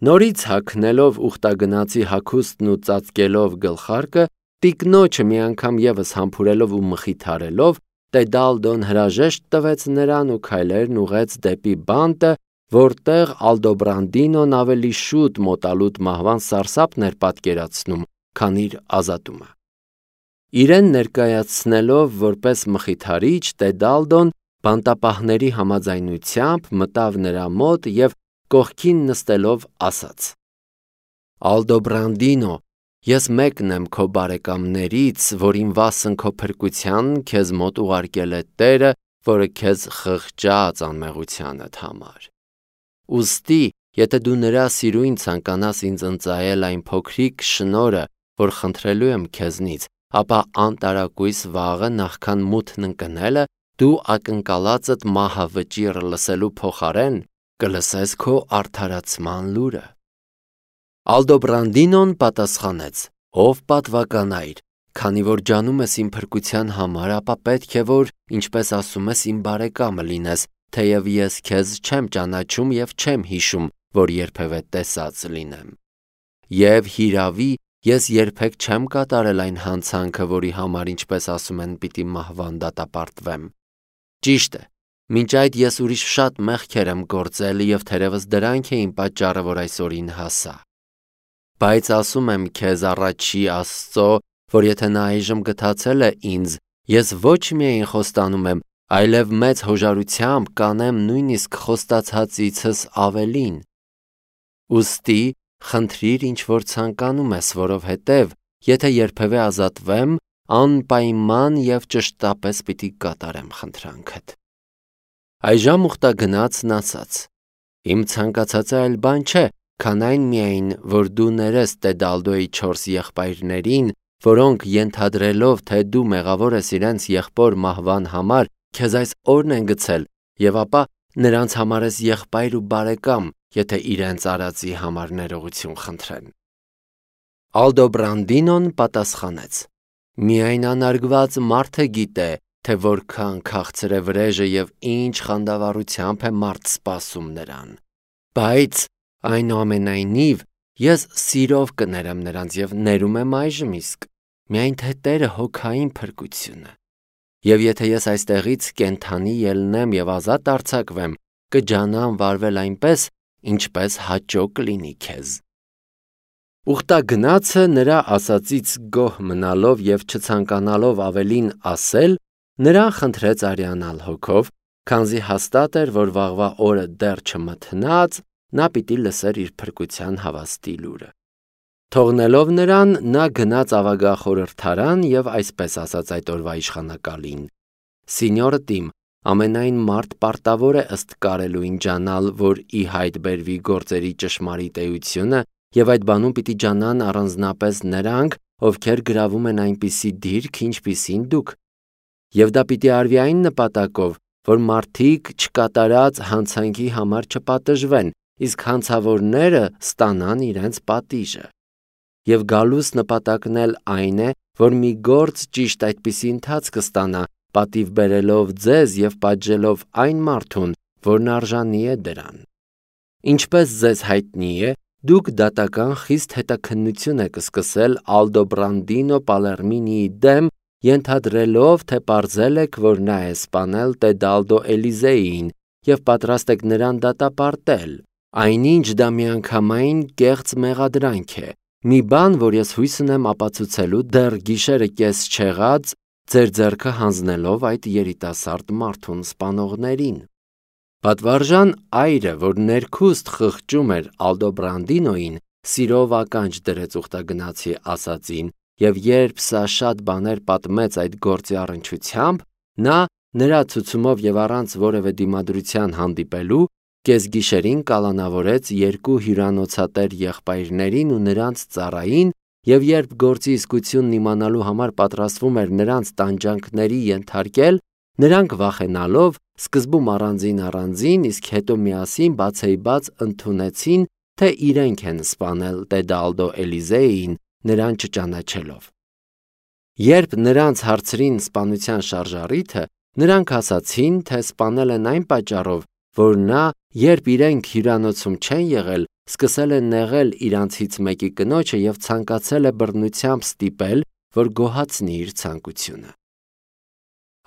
Նորից հագնելով ուխտագնացի հագուստն ու ծածկելով գլխարկը, տիկնոջը մի անգամ ևս համբուրելով ու մխիթարելով, Տեդալդոն հրաժեշտ տվեց նրան ու քայլերն ուղղեց դեպի բանտը, որտեղ Ալդոբրանդինոն ավելի շուտ մոտալուտ մահվան սարսափն էր պատկերացնում, քան իր ազատումը։ Իրեն ներկայացնելով որպես մխիթարիչ, Տեդալդոն բանտապահների համաձայնությամբ մտավ նրա մոտ և կողքին նստելով ասաց. Ալդոբրանդինո, ես մեկն եմ քո բարեկամներից, որին վասն քո փրկության քեզ մոտ ուղարկել է Տերը, որը քեզ խղճաց անմեղությանդ համար։ Ուստի, եթե դու նրա սիրույն ցանկանաս ինձ ընծայել այն փոքրիկ շնորհը, որ խնդրելու եմ քեզնից, ապա անտարակույս վաղը նախքան մութն ընկնելը, դու ակնկալածդ մահը վճիռ լսելու փոխարեն կլսես քո արդարացման լուրը։ Ալդոբրանդինոն պատասխանեց. Ով պատվականայր, քանի որ ջանում ես իմ փրկության համար, ապա պետք է որ, ինչպես ասում ես, իմ բարեկամը լինես, թեև ես քեզ չեմ ճանաչում և չեմ հիշում, որ երբևէ տեսած լինեմ։ Եվ հիրավի, ես երբեք չեմ կատարել այն հանցանքը, որի համար, ինչպես ասում են, պիտի մահվան դատապարտվեմ։ Ճիշտ է, մինչ այդ ես ուրիշ շատ մեղքեր եմ գործել և թերևս դրանք էին պատճառը, որ այսօրին հասա։ Բայց ասում եմ քեզ առաջի Աստծո, որ եթե նա այժմ գթացել է ինձ, ես ոչ միայն խոստանում եմ, այլև մեծ հոժարությամբ կանեմ նույնիսկ խոստացածիցս ավելին։ Ուստի խնդրիր ինչ որ ցանկանում ես, որովհետև եթե երբևէ ազատվեմ, անպայման և ճշտապես պիտի կատարեմ խնդրանքդ։ Այժմ ուխտագնացն ասաց. Իմ ցանկացածը այլ բան չէ, քան այն միայն, որ դու ներես Տեդալդոյի 4 եղբայրներին, որոնք ենթադրելով, թե դու մեղավոր ես իրենց եղբոր մահվան համար, քեզ այս օրն են գցել, և ապա նրանց համար ես եղբայր ու բարեկամ, եթե իրենց արածի համար ներողություն խնդրեն։ Ալդոբրանդինոն պատասխանեց. Միայն անարգված մարդը գիտե, թե որքան քաղցր է վրեժը և ինչ խանդավառությամբ է մարդ սպասում նրան։ Բայց այնուամենայնիվ ես սիրով կներեմ նրանց և ներում եմ այժմ իսկ, միայն թե Տերը հոգային փրկությունը։ Եվ եթե ես այստեղից կենդանի ելնեմ և ազատ արձակվեմ, կջանամ վարվել այնպես, ինչպես հաճո կլինի քեզ։ Ուխտագնացը նրա ասածից գոհ մնալով և չցանկանալով ավելին ասել, նրան խնդրեց արյանալ հոգով, քանզի հաստատ էր, որ վաղվա օրը դեռ չմթնած, նա պիտի լսեր իր փրկության հավաստի լուրը։ Թողնելով նրան, նա գնաց ավագախորհրդարան և այսպես ասաց այդ օրվա իշխանակալին. Սինյորը տիմ, ամենայն մարդ պարտավոր է ըստ կարելույն ջանալ, որ ի հայտ բերվի գործերի ճշմարիտ էությունը, և այդ բանում պիտի ջանան առանձնապես նրանք, ովքեր գրավում են այնպիսի դիրք, ինչպիսին դուք։ Եվ դա պիտի արվի այն նպատակով, որ մարդիկ չկատարած հանցանքի համար չպատժվեն, իսկ հանցավորները ստանան իրենց պատիժը։ Եվ գալուս նպատակն էլ այն է, որ մի գործ ճիշտ այդպիսի ընթացք ստանա, պատիվ բերելով ձեզ և պատժելով այն մարդուն, որն արժանի է դրան։ Ինչպես ձեզ հայտնի է, դուք դատական խիստ հետաքննություն եք սկսել Ալդոբրանդինո Պալերմինիի դեմ, ենթադրելով, թե պարզել եք, որ նա է սպանել Տեդալդո Էլիզեին և պատրաստ եք նրան դատապարտել, այնինչ դա միանգամայն կեղծ մեղադրանք է, մի բան, որ ես հույս ունեմ ապացուցելու դեռ գիշերը կես չեղած, ձեր ձեռքը հանձնելով այդ երիտասարդ մարդուն սպանողներին։ Պատվարժան այրը, որ ներքուստ խղճում էր Ալդոբրանդինոյին, սիրով ականջ դրեց ուխտագնացի ասածին, և երբ սա շատ բաներ պատմեց այդ գործի առնչությամբ, նա նրա ցուցումով և առանց որևէ դիմադրության հանդիպելու, կեսգիշերին կալանավորեց 2 հյուրանոցատեր եղբայրներին ու նրանց ծառային, և երբ գործի իսկությունն իմանալու համար պատրաստվում էր նրանց տանջանքների ենթարկել, նրանք վախենալով, սկզբում առանձին, իսկ հետո միասին բացեիբաց ընդունեցին, թե իրենք են սպանել Տեդալդո Էլիզեին, նրան չճանաչելով։ Երբ նրանց հարցրին սպանության շարժառիթը, նրանք ասացին, թե սպանել են այն պատճառով, որ նա, երբ իրենք հյուրանոցում չեն եղել, սկսել է նեղել իրանցից մեկի կնոջը և ցանկացել է բռնությամբ ստիպել, որ գոհացնի իր ցանկությունը։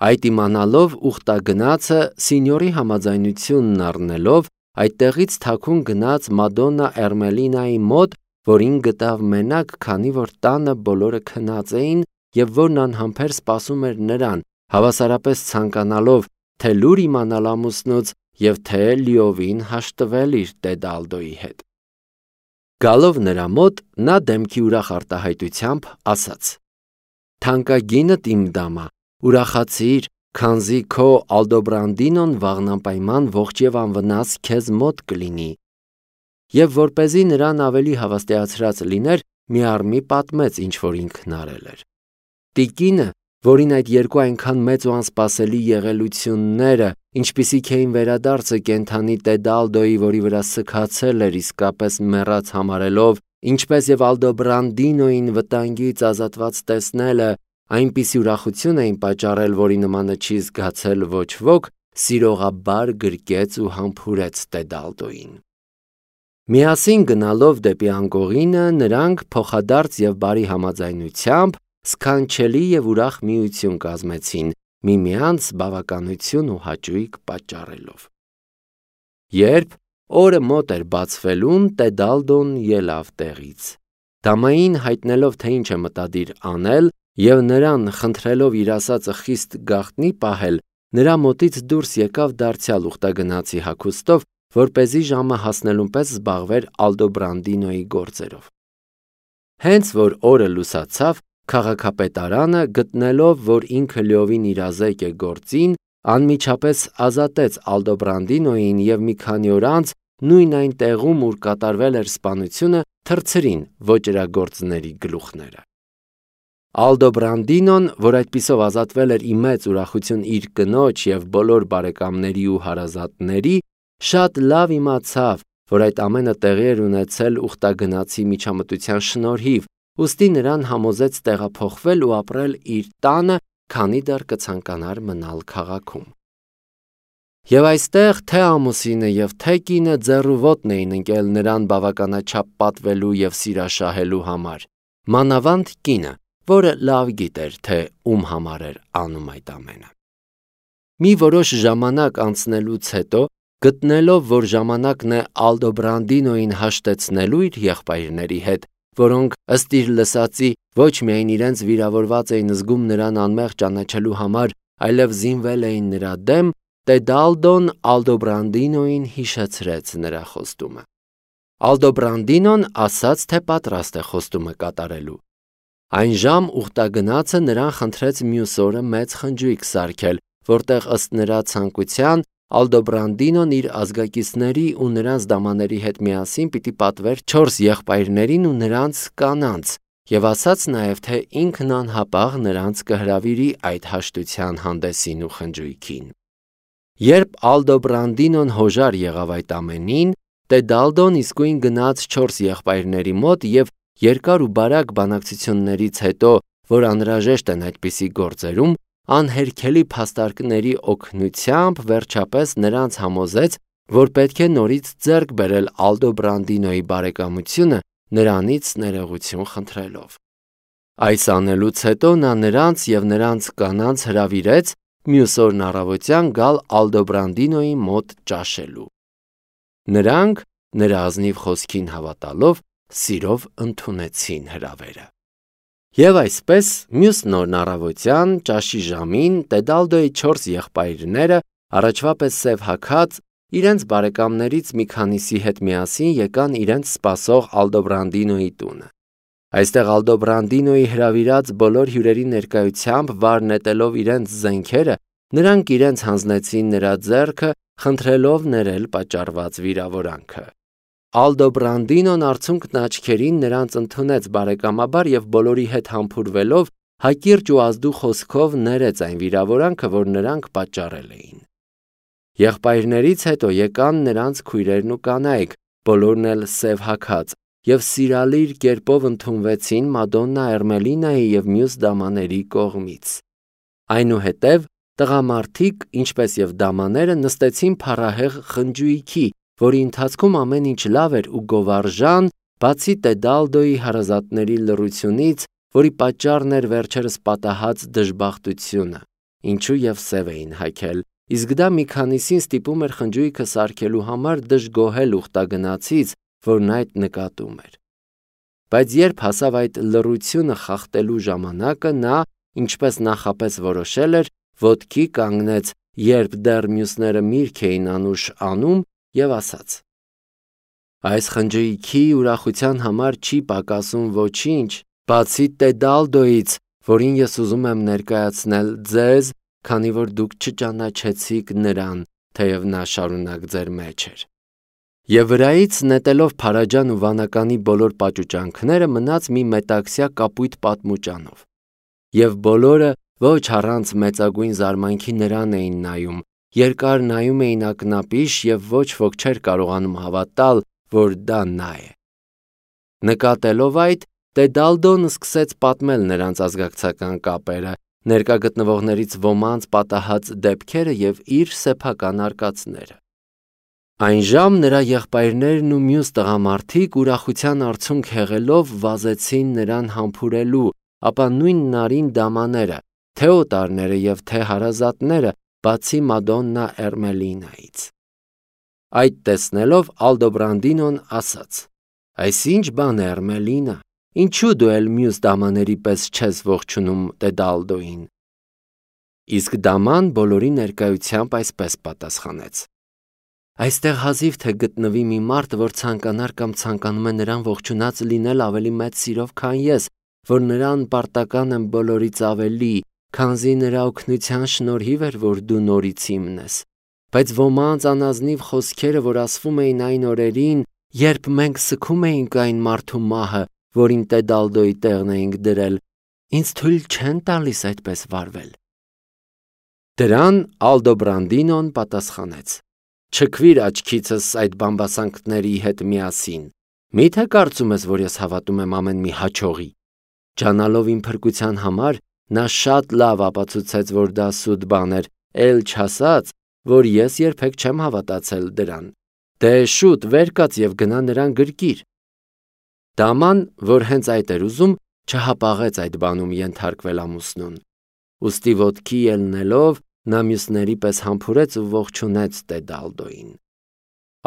Այդ իմանալով ուխտագնացը սինյորի համաձայնությունն առնելով այդտեղից թաքուն գնաց Մադոննա Էրմելինայի մոտ, որին գտավ մենակ, քանի որ տանը բոլորը քնած էին և որն անհամբեր սպասում էր նրան, հավասարապես ցանկանալով թե լուր իմանալ ամուսնուց և թե լիովին հաշտվել իր տեդ Ալդոյի հետ։ Գալով նրա մոտ, նա դեմքի ուրախ արտահայտությամբ ասաց. «Թանկագինդ իմ դամա, ուրախացիր, քանզի քո Ալդոբրանդինոն վաղնապայման ողջ և անվնաս քեզ մոտ կլինի»։ Եվ որպեսզի նրան ավելի հավաստիացրած լիներ, միառմի պատմեց, ինչ որ ինքն արել էր։ Տիկինը, որին այդ երկու այնքան մեծ ու անսպասելի եղելությունները, ինչպիսիք էին վերադարձը կենդանի տեդ Ալդոյի, որի վրա սգացել էր, իսկապես մեռած համարելով, ինչպես և Ալդոբրանդինոյին վտանգից ազատված տեսնելը, այնպիսի ուրախություն էին պատճառել, որի նմանը չի զգացել ոչ ոք, սիրողաբար գրկեց ու համբուրեց տեդ Ալդոյին։ Միասին գնալով դեպի անկողինը, նրանք փոխադարձ և բարի համաձայնությամբ սքանչելի և ուրախ միություն կազմեցին, միմյանց բավականություն ու հաճույք պատճառելով։ Երբ օրը մոտ էր բացվելուն, տեդ Ալդոն ելավ տեղից։ Դամային հայտնելով, թե ինչ է մտադիր անել, և նրան խնդրելով իր ասածը խիստ գաղտնի պահել, նրա մոտից դուրս եկավ դարձյալ ուխտագնացի հագուստով, որպեսզի ժամը հասնելուն պես զբաղվեր Ալդոբրանդինոյի գործերով։ Հենց որ օրը լուսացավ, քաղաքապետարանը, գտնելով, որ ինքը լիովին իրազեկ է գործին, անմիջապես ազատեց Ալդոբրանդինոյին և մի քանի օր անց նույն այն տեղում, ուր կատարվել էր սպանությունը, թռցրին ոճրագործների գլուխները։ Ալդոբրանդինոն, որ այդպիսով ազատվել էր ի մեծ ուրախություն իր կնոջ և բոլոր բարեկամների ու հարազատների, շատ լավ իմացավ, որ այդ ամենը տեղի էր ունեցել ուխտագնացի միջամտության շնորհիվ, ուստի նրան համոզեց տեղափոխվել ու ապրել իր տանը, քանի դեռ կցանկանար մնալ քաղաքում։ Եվ այստեղ թե ամուսինը և թե կինը ձեռու ոտն էին ընկել նրան բավականաչափ պատվելու և սիրաշահելու համար, մանավանդ կինը, որը լավ գիտեր, թե ում համար էր անում այդ ամենը։ Մի որոշ ժամանակ անցնելուց հետո, գտնելով, որ ժամանակն է Ալդոբրանդինոյին հաշտեցնելու իր եղբայրների հետ, որոնք ըստ իր լսածի ոչ միայն իրենց վիրավորված էին զգում նրան անմեղ ճանաչելու համար, այլև զինվել էին նրա դեմ, տեդ Ալդոն Ալդոբրանդինոյին հիշեցրեց նրա խոստումը։ Ալդոբրանդինոն ասաց, թե պատրաստ է խոստումը կատարելու։ Այն ժամ ուխտագնացը նրան խնդրեց մյուս օրը մեծ խնջույք սարքել, որտեղ ըստ նրա ցանկության Ալդոբրանդինոն իր ազգակիցների ու նրանց դամաների հետ միասին պիտի պատվեր 4 եղբայրներին ու նրանց կանանց, և ասաց նաև, թե ինքն անհապաղ նրանց կհրավիրի այդ հաշտության հանդեսին ու խնջույքին։ Երբ Ալդոբրանդինոն հոժար եղավ այդ ամենին, տեդ Ալդոն իսկույն գնաց 4 եղբայրների մոտ և երկար ու բարակ բանակցություններից հետո, որ անհրաժեշտ են այդպիսի գործերում, անհերքելի փաստարկների օգնությամբ վերջապես նրանց համոզեց, որ պետք է նորից ձեռք բերել Ալդոբրանդինոյի բարեկամությունը, նրանից ներողություն խնդրելով։ Այս անելուց հետո նա նրանց և նրանց կանանց հրավիրեց մյուս օրն առավոտյան գալ Ալդոբրանդինոյի մոտ ճաշելու։ Նրանք, նրա ազնիվ խոսքին հավատալով, սիրով ընդունեցին հրավերը։ Եվ այսպես, մյուս նորն առավոտյան ճաշի ժամին տեդ Ալդոյի 4 եղբայրները, առաջվա պես սև հագած, իրենց բարեկամներից մի քանիսի հետ միասին եկան իրենց սպասող Ալդոբրանդինոյի տունը։ Այստեղ Ալդոբրանդինոյի հրավիրած բոլոր հյուրերի ներկայությամբ վար նետելով իրենց զենքերը, նրանք իրենց հանձնեցին նրա ձեռքը, խնդրելով ներել պատճառված վիրավորանքը։ Ալդոբրանդինոն արցունքն աչքերին նրանց ընդունեց բարեկամաբար և բոլորի հետ համբուրվելով հակիրճ ու ազդու խոսքով ներեց այն վիրավորանքը, որ նրանք պատճառել էին։ Եղբայրներից հետո եկան նրանց քույրերն ու կանայք, բոլորն էլ սև հագած, և սիրալիր կերպով ընդունվեցին Մադոննա Էրմելինայի և մյուս դամաների կողմից։ Այնուհետև Տղամարդիկ, ինչպես եւ դամաները, նստեցին փառահեղ խնջույքի, որի ընթացքում ամեն ինչ լավ էր ու գովարժան, բացի Տեդալդոյի հարազատների լռությունից, որի պատճառն էր վերջերս պատահած դժբախտությունը, ինչու եւ սև էին հագել, իսկ դա մի քանիսին ստիպում էր խնջույքը սարքելու համար դժգոհել ուխտագնացից, որն այդ նկատում էր։ Բայց երբ հասավ այդ լռությունը խախտելու ժամանակը, նա, ինչպես նախապես որոշել էր, ոտքի կանգնեց, երբ դեռ մյուսները միրգ էին անուշ անում, եւ ասաց. Այս խնջույքի ուրախության համար չի պակասում ոչինչ, բացի Տեդալդոյից, որին ես ուզում եմ ներկայացնել ձեզ, քանի որ դուք չճանաչեցիք նրան, թեև նա շարունակ ձեր մեջ էր։ Եվ վրայից նետելով փարաջան ու վանականի բոլոր պաճուճանքները մնաց մի մետաքսյա կապույտ պատմուճանով։ Եվ բոլորը ոչ առանց մեծագույն զարմանքի նրան էին նայում, երկար նայում էին ակնապիշ եւ ոչ ոք չէր կարողանում հավատալ, որ դա նա է։ Նկատելով այդ, Տեդալդոն սկսեց պատմել նրանց ազգակցական կապերը, ներկա գտնվողներից ոմանց պատահած դեպքերը եւ իր սեփական արկածները։ Այն ժամ նրա եղբայրներն ու մյուս տղամարդիկ ուրախության արցունք հեղելով վազեցին նրան համբուրելու, ապա նույն նարին դամաները, թե օտարները եւ թե հարազատները, բացի Մադոննա Էրմելինայից։ Այդ տեսնելով Ալդոբրանդինոն ասաց. Այս ինչ բան է, Էրմելինա, ինչու դու էլ մյուս դամաների պես չես ողջունում Տեդալդոյին։ Իսկ դաման բոլորի ներկայությամբ այսպես պատասխանեց. Այստեղ հազիվ թե գտնվի մի մարդ, որ ցանկանար կամ ցանկանում է նրան ողջունած լինել ավելի մեծ սիրով, քան ես, որ նրան պարտական եմ բոլորից ավելի, քանզի նրա օգնության շնորհիվ էր, որ դու նորից իմն ես։ Բայց ոմանց անազնիվ խոսքերը, որ ասվում էին այն օրերին, երբ մենք սգում էինք այն մարդու մահը, որին Տեդալդոյի տեղն էինք դրել, ինձ թույլ չեն տալիս այդպես վարվել։ Դրան Ալդոբրանդինոն պատասխանեց. Չքվիր աչքիցս այդ բամբասանքների հետ միասին։ Միթե կարծում ես, որ ես հավատում եմ ամեն մի հաջողի։ Ջանալով իմ փրկության համար, նա շատ լավ ապացուցեց, որ դա սուտ բան էր, էլ չասած, որ ես երբեք չեմ հավատացել դրան։ Դե շուտ վեր կաց եւ գնա նրան գրկիր։ Դաման, որ հենց այդ էր ուզում, չհապաղեց այդ բանում ենթարկվել ամուսնուն։ Ուստի ոտքի ելնելով, նա մյուսների պես համբուրեց ու ողջունեց Տեդալդոյին։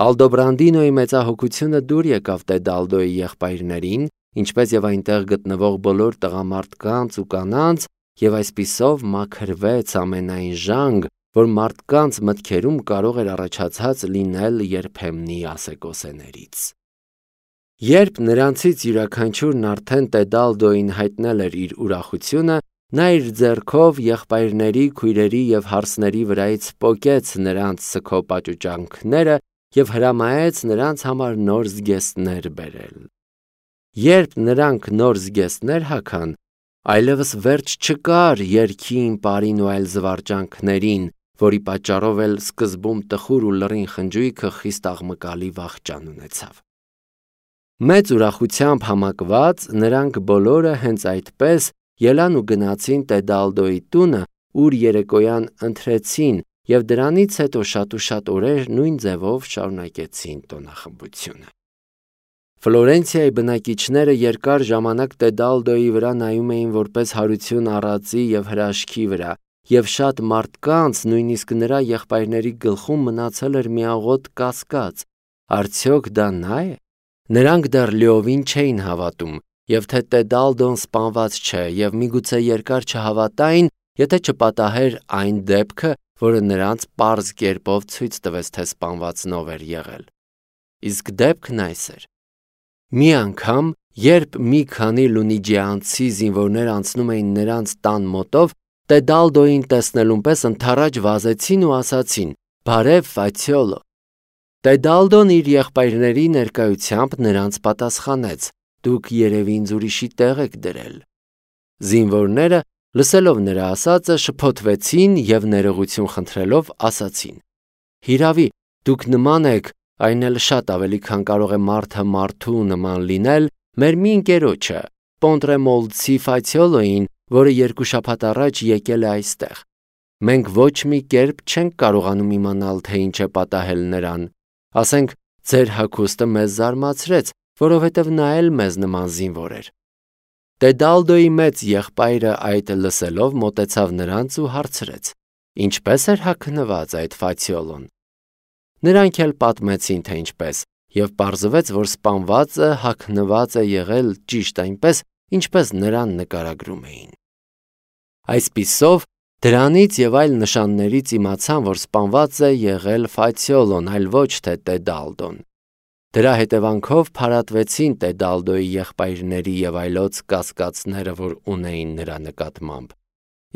Ալդոբրանդինոյի մեծահոգությունը դուր եկավ Տեդալդոյի եղբայրներին, ինչպես եւ այնտեղ գտնվող բոլոր տղամարդկանց ու կանանց, եւ այսպիսով մաքրվեց ամենայն ժանգ, որ մարդկանց մտքերում կարող էր առաջացած լինել երբեմնի ասեկոսեներից։ Երբ նրանցից յուրաքանչյուրն արդեն Տեդալդոյին հայտնել էր իր ուրախությունը, նա իր ձեռքով եղբայրների, քույրերի եւ հարսների վրայից պոկեց նրանց սգո պաճուճանքները եւ հրամայեց նրանց համար նոր զգեստներ բերել։ Երբ նրանք նոր զգեստներ հագան, այլևս վերջ չկար երգին, պարին ու այլ զվարճանքներին, որի պատճառով էլ սկզբում տխուր ու լռին խնջույքը խիստ աղմկալի վախճան ունեցավ։ Մեծ ուրախությամբ համակված նրանք բոլորը հենց այդպես ելան ու գնացին Տեդալդոյի տունը, ուր երեկոյան ընթրեցին եւ դրանից հետո շատ ու շատ օրեր նույն ձևով շարունակեցին տոնախմբությունը։ Ֆլորենցիայի բնակիչները երկար ժամանակ Տեդալդոյի վրա նայում էին որպես հարություն առածի եւ հրաշքի վրա, եւ շատ մարդկանց, նույնիսկ նրա եղբայրների գլխում մնացել էր միաղոտ կասկած. արդյոք դա նա է։ Նրանք դեռ լիովին չէին հավատում, եւ թե Տեդալդոն սպանված չէ, եւ միգուցե երկար չհավատային, եթե չպատահեր այն դեպքը, որը նրանց պարզ կերպով ցույց տվեց, թե սպանվածնով էր եղել։ Իսկ դեպքն այս էր. մի անգամ, երբ մի քանի լունիջիանցի զինվորներ անցնում էին նրանց տան մոտով, Տեդալդոյին տեսնելուն պես ընդառաջ վազեցին ու ասացին. «Բարև, Ֆացիոլո»։ Տեդալդոն իր եղբայրների ներկայությամբ նրանց պատասխանեց. «Դուք երևի ինձ ուրիշի տեղ եք դրել»։ Զինվորները, լսելով նրա ասածը, շփոթվեցին եւ ներողություն խնդրելով ասացին. «Հիրավի, դուք նման եք, այն էլ շատ ավելի, քան կարող է մարդը մարդու նման լինել, մեր մի ընկերոջը, Պոնտրեմոլցի Ֆացիոլոյին, որը 2 շաբաթ առաջ եկել է այստեղ։ Մենք ոչ մի կերպ չենք կարողանում իմանալ, թե ինչ է պատահել նրան։ Ասենք, ձեր հագուստը մեզ զարմացրեց, որովհետև նա էլ մեզ նման զինվոր էր։ Տեդալդոյի մեծ եղբայրը այդ լսելով մոտեցավ նրանց ու հարցրեց. Ինչպե՞ս էր հագնված այդ Ֆացիոլոն։ Նրանք էլ պատմեցին, թե ինչպես, եւ պարզվեց, որ սպանվածը հագնված է եղել ճիշտ այնպես, ինչպես նրան նկարագրում էին։ Այսպիսով, դրանից եւ այլ նշաններից իմացան, որ սպանված է եղել Ֆացիոլոն, այլ ոչ թե Տեդալդոն։ Դրա հետևանքով փարատվեցին Տեդալդոյի եղբայրների եւ այլոց կասկածները, որ ունեին նրա նկատմամբ։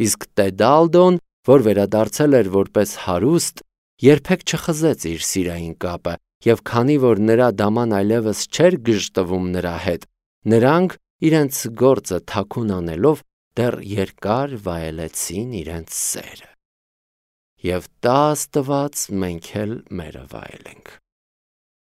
Իսկ Տեդալդոն, որ վերադարձել էր որպես հարուստ, երբեք չխզեց իր սիրային կապը, եւ քանի որ նրա դաման այլևս չէր գժտվում նրա հետ, նրանք իրենց գործը թաքուն անելով դեռ երկար վայելեցին իրենց սերը։ Եվ տա Աստված մենք էլ մերը վայելենք։